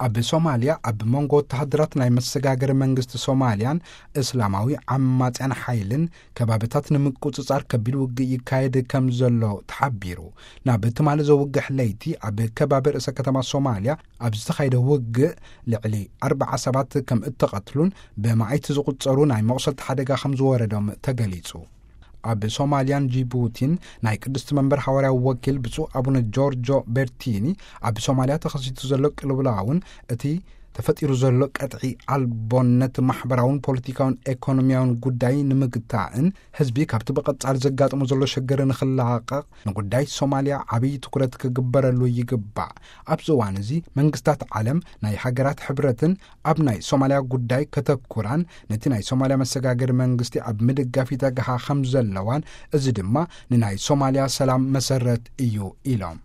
ኣብ ሶማልያ ኣብ መንጎ ወተሃደራት ናይ መሰጋገሪ መንግስቲ ሶማልያን እስላማዊ ዓማጽያን ሓይልን ከባብታት ንምቁጽጻር ከቢድ ውግእ ይካየድ ከም ዘሎ ተሓቢሩ። ናብ ትማሊ ዘውግሕ ለይቲ ኣብ ከባቢ ርእሰ ከተማ ሶማልያ ኣብ ዝተኻየደ ውግእ ልዕሊ ኣርባዓ ሰባት ከም እተቐትሉን ብመዓይቲ ዝቑጸሩ ናይ መቑሰልቲ ሓደጋ ከም ዝወረዶም ተገሊጹ። ኣብ ሶማልያን ጂቡቲን ናይ ቅድስቲ መንበር ሓዋርያዊ ወኪል ብፁዕ ኣቡነ ጆርጆ ቤርቲኒ፣ ኣብ ሶማልያ ተኸሲቱ ዘሎ ቅልውላውን እቲ ተፈጢሩ ዘሎ ቀጥዒ ኣልቦነት ማሕበራውን ፖለቲካውን ኤኮኖሚያውን ጉዳይ ንምግታእን ህዝቢ ካብቲ ብቐጻሊ ዘጋጥሞ ዘሎ ሽግር ንኽላቐቕ ንጉዳይ ሶማልያ ዓብዪ ትኩረት ክግበረሉ ይግባእ። ኣብዚ እዋን እዚ መንግስታት ዓለም ናይ ሃገራት ሕብረትን ኣብ ናይ ሶማልያ ጉዳይ ከተኩራን ነቲ ናይ ሶማልያ መሰጋገሪ መንግስቲ ኣብ ምድጋፍ ይተግሃ ከም ዘለዋን፣ እዚ ድማ ንናይ ሶማልያ ሰላም መሰረት እዩ ኢሎም።